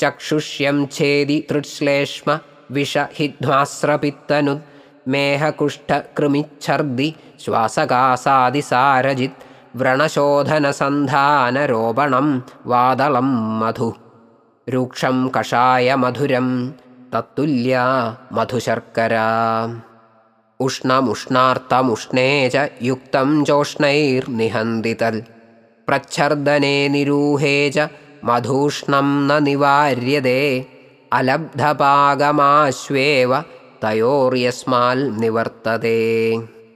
चक्षुष्यं छेदि तृश्लेष्म विषहिध्मास्रपित्तनुद् मेहकुष्ठकृमिच्छर्दि श्वासकासादिसारजित् व्रणशोधनसन्धानरोपणं वादलं मधु रूक्षं कषायमधुरं तत्तुल्या मधुशर्करा उष्णमुष्णार्तमुष्णे च युक्तं चोष्णैर्निहन्ति तल् प्रच्छर्दने निरूहे च मधूष्णं न निवार्यते अलब्धपागमाश्वेव तयोर्यस्माल्निवर्तते।